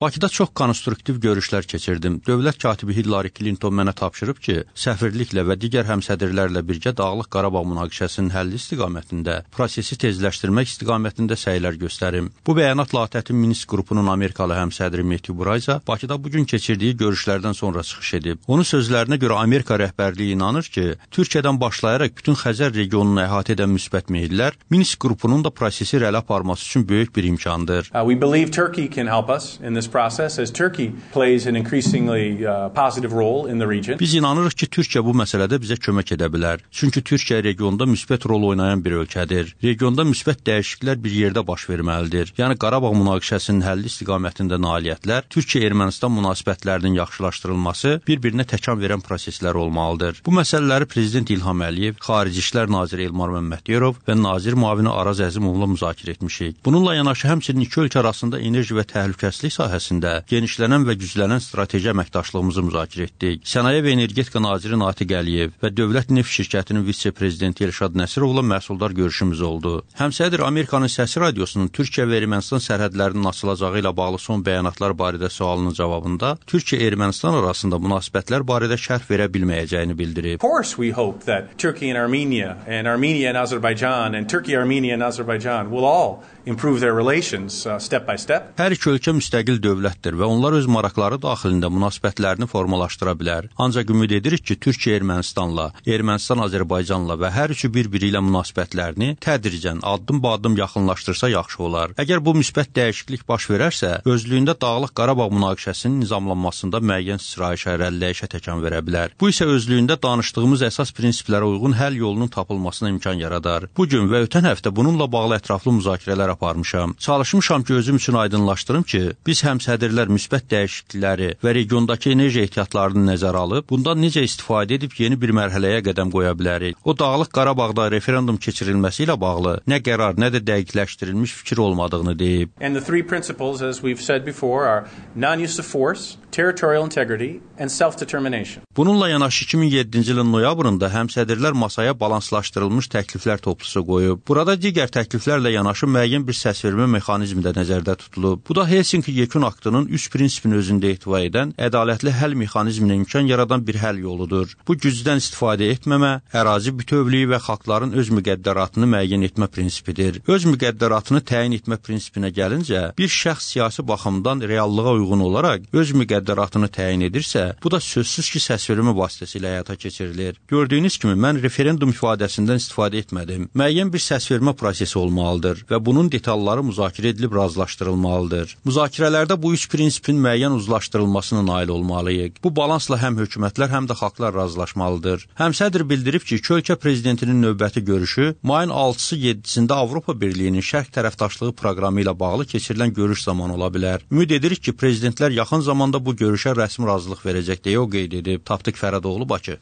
Bakıda çox konstruktiv görüşlər keçirdim. Dövlət katibi Hillary Clinton mənə tapşırıb ki, səfirliklə və digər həmsədrlərlə birgə Dağlıq Qarabağ münaqişəsinin həlli istiqamətində, prosesi tezləşdirmək istiqamətində səylər göstərim. Bu bəyanatla ATƏT-in Minsk qrupunun Amerikalı həmsədri Matthew Brayza Bakıda bugün keçirdiyi görüşlərdən sonra çıxış edib. Onun sözlərinə görə Amerika rəhbərliyi inanır ki, Türkiyədən başlayaraq bütün Xəzər regionunu əhatə edən müsbət meyillər Minsk qrupunun da prosesi irəli aparması üçün böyük bir imkandır. We believe Turkey can help us in this process as Turkey plays an increasingly positive role in the region. Biz inanırıq ki, Türkiyə bu məsələdə bizə kömək edə bilər. Çünki Türkiyə regionda müsbət rol oynayan bir ölkədir. Regionda müsbət dəyişikliklər bir yerdə baş verməlidir. Yəni Qarabağ münaqişəsinin həlli istiqamətində nailiyyətlər, Türkiyə-Ermənistan münasibətlərinin yaxşılaşdırılması bir-birinə təkan verən proseslər olmalıdır. Bu məsələləri Prezident İlham Əliyev, Xarici İşlər naziri Elmar Məmmədiyarov və nazir müavini Araz Əzimovla müzakirə etmişik. Bununla yanaşı həmçinin iki ölkə arasında enerji və təhlükəsizlik sahəsində genişlənən və güclənən strateji əməkdaşlığımızı müzakirə etdik. Sənaye və Energetika naziri Natiq Əliyev və Dövlət Neft şirkətinin vitse-prezidenti Elşad Nəsirovla məhsuldar görüşümüz oldu. Həmsədr Amerikanın Səsi radiosunun Türkiyə və Ermənistan sərhədlərinin açılacağı ilə bağlı son bəyanatlar barədə sualının cavabında Türkiyə-Ermənistan arasında münasibətlər barədə şərh verə bilməyəcəyini bildirib. Of course we hope that Turkey and Armenia and Azerbaijan and Turkey, Armenia and Azerbaijan will all improve their relations step by step. Hər iki ölkə müstəqil dövlətdir və onlar öz maraqları daxilində münasibətlərini formalaşdıra bilər. Ancaq ümid edirik ki, Türkiyə Ermənistanla, Ermənistan Azərbaycanla və hər üçü bir-biri ilə münasibətlərini tədricən, addım-ba-addım yaxınlaşdırsa yaxşı olar. Əgər bu müsbət dəyişiklik baş verərsə, özlüyündə Dağlıq Qarabağ münaqişəsinin nizamlanmasında müəyyən istirahişə, irəliləyişə təkan verə bilər. Bu isə özlüyündə danışdığımız əsas prinsiplərə uyğun həll yolunun tapılmasına imkan yaradar. Bugün və ötən həftə bununla bağlı ətraflı müzakirələr aparmışam. Çalışmışam ki, özüm üçün aydınlaşdırım ki, biz həmsədrlər müsbət dəyişiklikləri və regiondakı enerji ehtiyatlarını nəzərə alıb, bundan necə istifadə edib yeni bir mərhələyə qədəm qoya bilərik. O Dağlıq Qarabağda referendum keçirilməsi ilə bağlı nə qərar, nə də dəqiqləşdirilmiş fikir olmadığını deyib. And the three principles, as we've said before, are non-use of force, territorial integrity and self-determination. Bununla yanaşı 2007-ci ilin noyabrında həmsədrlər masaya balanslaşdırılmış təkliflər toplusu qoyub. Burada digər təkliflərlə yanaşı müəyyən bir səsvermə mexanizmi də nəzərdə tutulub. Bu da Helsinki Yekun Aktının üç prinsipini özündə ehtiva edən ədalətli həll mexanizminə imkan yaradan bir həll yoludur. Bu gücdən istifadə etməmə, ərazi bütövlüyü və xalqların öz müqəddəratını müəyyən etmə prinsipidir. Öz müqəddəratını təyin etmə prinsipinə gəlincə, bir şəxs siyasi baxımdan reallığa uyğun olaraq öz müqəddəratını təyin edirsə, bu da sözsüz ki, səsvermə vasitəsilə həyata keçirilir. Gördüyünüz kimi, mən referendum ifadəsindən istifadə etmədim. Müəyyən bir səsvermə prosesi olmalıdır və bunun detalları müzakirə edilib razılaşdırılmalıdır. Müzakirələrdə bu üç prinsipin müəyyən uzlaşdırılmasına nail olmalıyıq. Bu balansla həm hökumətlər, həm də xalqlar razılaşmalıdır. Həmsədr bildirib ki, iki ölkə prezidentinin növbəti görüşü mayın 6-sı 7-sində Avropa Birliyinin şərq tərəfdaşlığı proqramı ilə bağlı keçirilən görüş zamanı ola bilər. Ümid edirik ki, prezidentlər yaxın zamanda bu görüşə rəsmi razılıq verəcək deyə o qeyd edib. Tapdıq Fərədoğlu, Bakı.